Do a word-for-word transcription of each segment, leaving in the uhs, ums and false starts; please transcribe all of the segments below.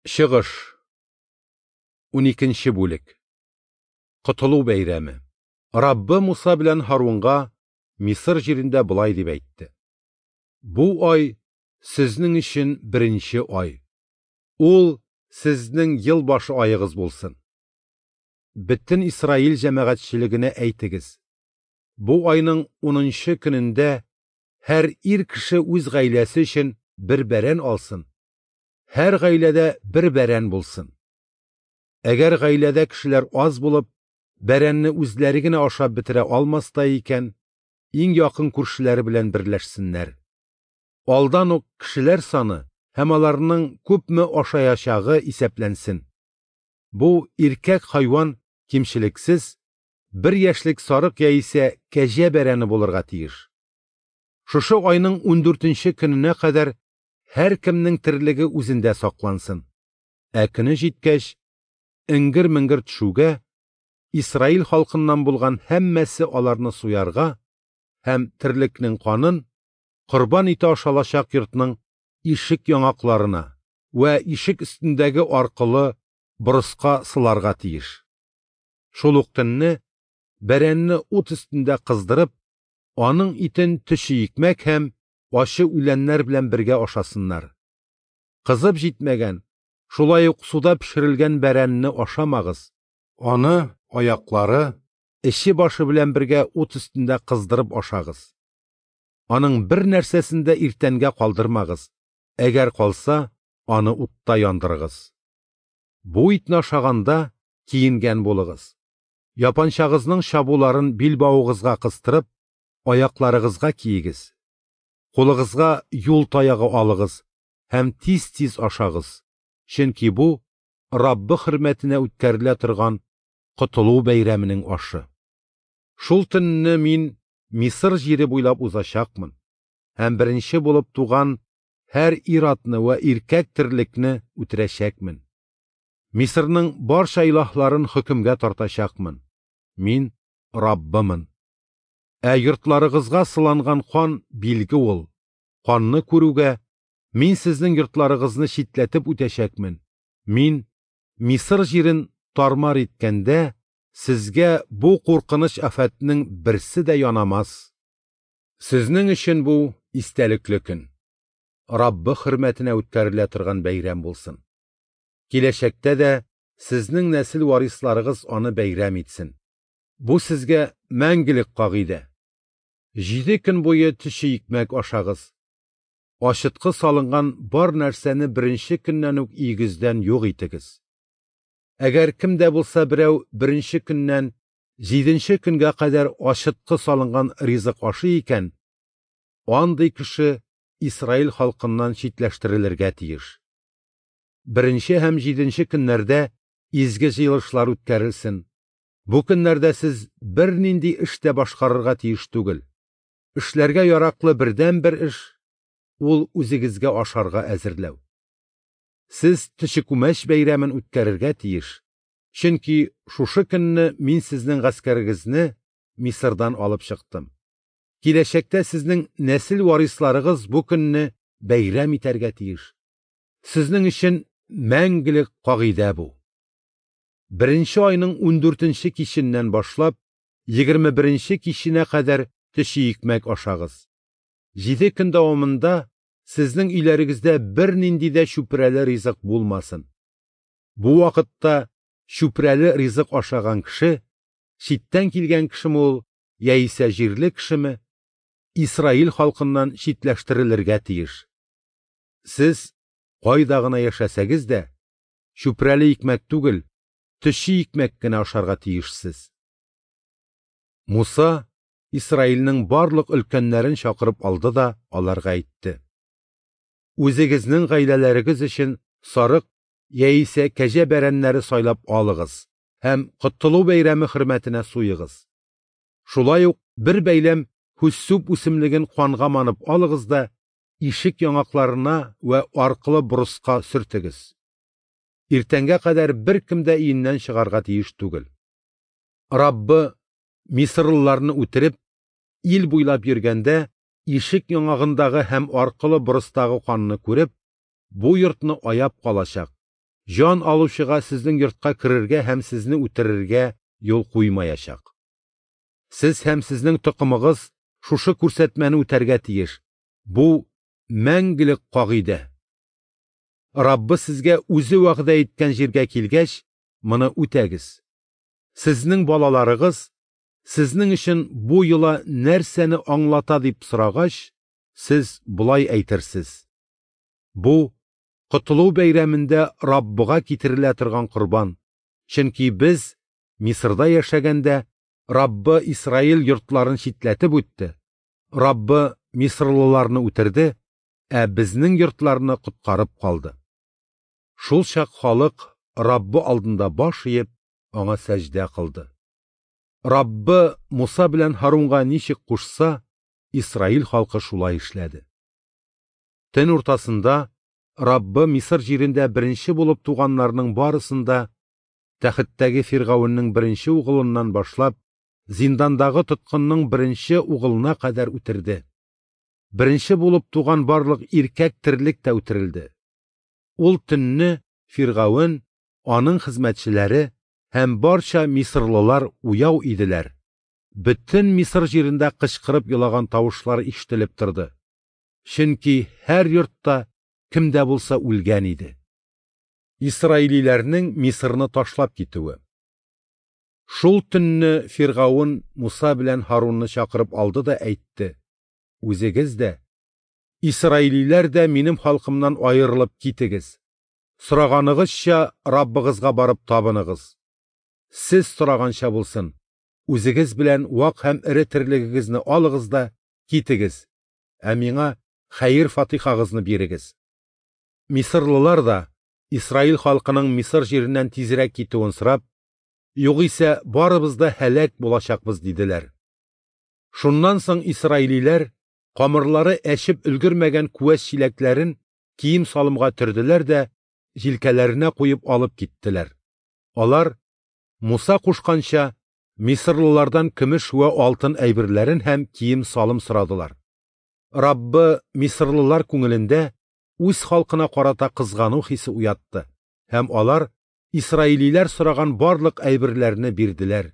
Чыгыш. Уникенче бүлек. Котылу бәйрәме. Раббы Муса белән Һарунга Мисыр җирендә болай дип әйтте: Бу ай сезнең өчен беренче ай. Ул сезнең ел башы аегыз булсын. Бөтен Исраил җәмәгатьчелегенә әйтегез: Бу айның унынчы көнендә һәр ир кеше үз гаиләсе өчен бер бәрән алсын. Һәр гаиләдә бер бәрән булсын. Әгәр гаиләдә кешеләр аз булып, бәрәнне үзләре генә ашап бетерә алмастай икән, иң якын күршеләре белән берләшсеннәр. Алдан ук кешеләр саны һәм аларның күпме ашаячагы исәпләнсен. Бу иркәк хайван кимчелексез, бер яшьлек сарык яисә кәҗә бәрәне булырга тиеш. Шушы айның ундүртенче көненә кадәр һәр кемнең терлеге үзендә саклансын. Ә көне җиткәч, эңгер-меңгер төшүгә, Исраил халкыннан булган һәммәсе аларны суярга һәм терлекнең канын корбан ите ашалачак йортның ишек яңакларына вә ишек өстендәге аркылы борыска сыларга тиеш. Шул ук төнне бәрәнне ут өстендә кыздырып, аның итен төче икмәк һәм ачы үләннәр белән бергә ашасыннар. Кызып җитмәгән, шулай ук суда пешерелгән бәрәнне ашамагыз. Аны аяклары, эче башы белән бергә ут өстендә кыздырып ашагыз. Аның бер нәрсәсен дә иртәнгә калдырмагыз. Әгәр калса, аны утта яндырыгыз. Бу итне ашаганда киенгән булыгыз. Япанчагызның чабуларын билбавыгызга кыстырып, аякларыгызга киегез. Кулыгызга юл таягы алыгыз һәм тиз-тиз ашагыз. Чөнки бу Раббы хөрмәтенә үткәрелә торган Котылу бәйрәменең ашы. Шул төнне мин Мисыр җире буйлап узачакмын һәм беренче булып туган һәр ир-атны вә иркәк терлекне үтерәчәкмен. Мисырның барча илаһларын хөкемгә тартачакмын. Мин Раббымын. Ә йортларыгызга сыланган кан билге ул. Канны күрүгә мин сезнең йортларыгызны читләтеп үтәчәкмен. Мин Мисыр җирен тармар иткәндә сезгә бу куркыныч афәтнең берсе дә янамас. Сезнең өчен бу истәлекле көн. Раббы хөрмәтенә үткәрелә торган бәйрәм булсын. Киләчәктә дә сезнең нәсел варисларыгыз аны бәйрәм итсен. Бу сезгә мәңгелек кагыйдә. Җиде көн буе төче икмәк ашагыз. Ачыткы салынган бар нәрсәне беренче көннән үк өегездән юк итегез. Әгәр кем дә булса берәү беренче көннән җиденче көнгә кадәр ачыткы салынган ризык ашый икән, андый кеше Исраил халкыннан читләштерелергә тиеш. Беренче һәм җиденче көннәрдә изге җыелышлар үткәрелсен. Бу көннәрдә сез бернинди эш тә башкарырга тиеш түгел. Эшләргә яраклы бердәнбер эш ул үзегезгә ашарга әзерләү. Сез төче күмәч бәйрәмен үткәрергә тиеш. Чөнки шушы көнне мин сезнең гаскәрегезне Мисырдан алып чыктым. Киләчәктә сезнең нәсел варисларыгыз бу көнне бәйрәм итәргә тиеш. Сезнең өчен мәңгелек кагыйдә бу. Беренче айның ундүртенче киченнән башлап, егерме беренче киченә кадәр төче икмәк ашагыз. Җиде көн дәвамында сезнең өйләрегездә бернинди дә чүпрәле ризык булмасын. Бу вакытта чүпрәле ризык ашаган кеше, читтән килгән кешеме ул, яисә җирле кешеме, Исраил халкыннан читләштерелергә тиеш. Сез кайда гына яшәсәгез дә, чүпрәле икмәк түгел, төче икмәк кенә ашарга тиешсез. Муса Исраилнең барлык өлкәннәрен чакырып алды да аларга әйтте: Үзегезнең гаиләләрегез өчен сарык яисә кәҗә бәрәннәре сайлап алыгыз һәм Котылу бәйрәме хөрмәтенә суегыз. Шулай ук бер бәйләм һуссуп үсемлеген канга манып алыгыз да ишек яңакларына вә аркылы борыска сөртегез. Иртәнгә кадәр бер кем дә өеннән чыгарга тиеш түгел. Раббы мисырлыларны үтереп, ил буйлап йөргәндә, ишек яңагындагы һәм аркылы борыстагы канны күреп, бу йортны аяп калачак Җан алучыга сезнең йортка керергә һәм сезне үтерергә юл куймаячак. Сез һәм сезнең токымыгыз шушы күрсәтмәне үтәргә тиеш. Бу мәңгелек кагыйдә. Раббы сезгә үзе вәгъдә иткән җиргә килгәч, моны үтәгез. Сезнең балаларыгыз сезнең өчен бу йола нәрсәне аңлата дип сорагач, сез болай әйтерсез: Бу Котылу бәйрәмендә Раббыга китерелә торган корбан, чөнки без Мисырда яшәгәндә Раббы Исраил йортларын читләтеп үтте, Раббы мисырлыларны үтерде, ә безнең йортларны коткарып калды. Шул чак халык Раббы алдында баш иеп, аңа сәҗдә кылды. Раббы Муса белән Һарунга ничек кушса, Исраил халкы шулай эшләде. Төн уртасында Раббы Мисыр җирендә беренче булып туганнарның барысын да, тәхеттәге Фиргавеннең беренче угылыннан башлап, зиндандагы тоткынның беренче угылына кадәр үтерде. Беренче булып туган барлык иркәк терлек тә үтерелде. Ул төнне Фиргавен, аның хезмәтчеләре һәм барча мисырлылар уяу иделәр. Бөтен Мисыр җирендә кычкырып елаган тавышлар ишетелеп торды. Чөнки һәр йортта кем дә булса үлгән иде. Исраилиләрнең Мисырны ташлап китүе. Шул төнне Фиргавен Муса белән Һарунны чакырып алды да әйтте: Үзегез дә, исраилиләр дә минем халкымнан аерылып китегез. Сораганыгызча Раббыгызга барып табыныгыз. Сез сораганча булсын. Үзегез белән вак һәм эре терлегегезне алыгыз да китегез. Ә миңа хәер-фатихагызны бирегез. Мисырлылар да Исраил халкының Мисыр җиреннән тизрәк китүен сорап, югыйсә барыбыз да һәлак булачакбыз диделәр. Шуннан соң исраилиләр камырлары әчеп өлгермәгән күәс чиләкләрен кием-салымга төрделәр дә җилкәләренә куеп алып киттеләр. Алар Муса кушканча мисырлылардан көмеш вә алтын әйберләрен һәм кием-салым сорадылар. Раббы мисырлылар күңелендә үз халкына карата кызгану хисе уятты, һәм алар исраилиләр сораган барлык әйберләрне бирделәр.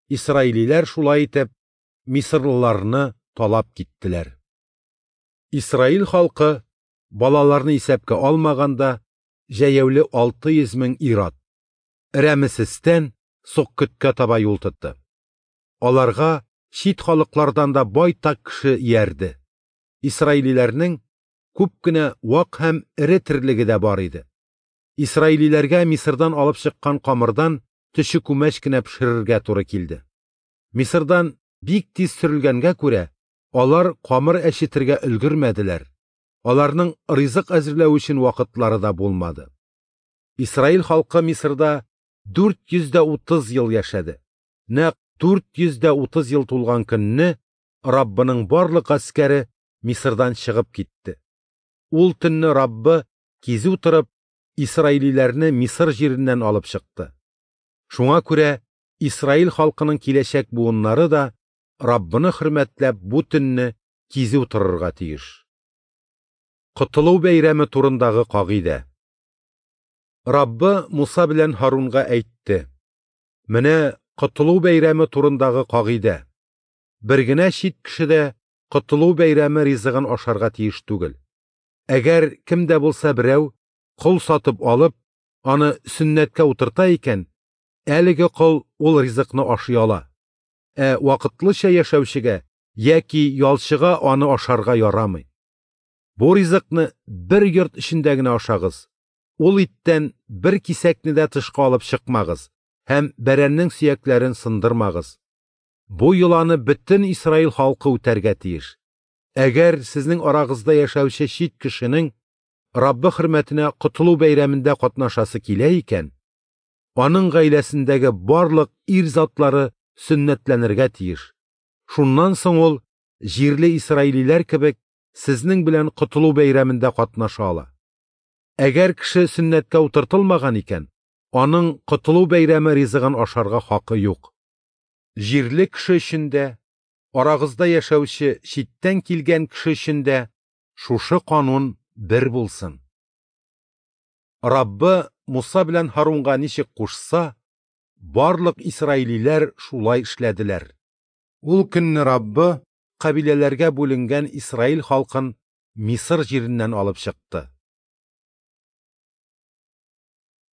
Исраилиләр шулай итеп мисырлыларны талап киттеләр. Исраил халкы балаларны исәпкә алмаганда җәяүле алты йөз мең ир-ат Рәмесестән Суккөткә таба юл тотты. Аларга чит халыклардан да байтак кеше иярде. Исраилиләрнең күп кенә вак һәм эре терлеге дә бар иде. Исраилиләргә Мисырдан алып чыккан камырдан төче күмәч кенә пешерергә туры килде. Мисырдан бик тиз сөрелгәнгә күрә, алар камыр әчетергә өлгермәделәр. Аларның ризык әзерләү өчен вакытлары да булмады. Исраил халкы Мисырда дүрт йөз дә утыз ел яшәде. Нәкъ дүрт йөз дә утыз ел тулган көнне Раббының барлык гаскәре Мисырдан чыгып китте. Ул төнне Раббы кизү торып исраилиләрне Мисыр җиреннән алып чыкты. Шуңа күрә Исраил халкының киләчәк буыннары да Раббыны хөрмәтләп бу төнне кизү торырга тиеш. Котылу бәйрәме турындагы кагыйдә. Раббы Муса белән Һарунга әйтте: Менә Котылу бәйрәме турындагы кагыйдә. Бер генә чит кеше дә Котылу бәйрәме ризыгын ашарга тиеш түгел. Әгәр кем дә булса берәү кол сатып алып, аны сөннәткә утырта икән, әлеге кол ул ризыкны ашый ала. Ә вакытлыча яшәүчегә яки ялчыга аны ашарга ярамый. Бу ризыкны бер йорт эчендә генә ашагыз. Ул иттән бер кисәкне дә тышка алып чыкмагыз һәм бәрәннең сөякләрен сындырмагыз. Бу йоланы бөтен Исраил халкы үтәргә тиеш. Әгәр сезнең арагызда яшәүче чит кешенең Раббы хөрмәтенә Котылу бәйрәмендә катнашасы килә икән, аның гаиләсендәге барлык ир затлары сөннәтләнергә тиеш. Шуннан соң ул җирле исраилиләр кебек сезнең белән Котылу бәйрәмендә катнаша ала. Әгәр кеше сөннәткә утыртылмаган икән, аның Котылу бәйрәме ризыгын ашарга хакы юк. Җирле кеше өчен дә, арагызда яшәүче читтән килгән кеше өчен дә шушы канун бер булсын. Раббы Муса белән Һарунга ничек кушса, барлык исраилиләр шулай эшләделәр. Ул көнне Раббы кабиләләргә бүленгән Исраил халкын Мисыр җиреннән алып чыкты.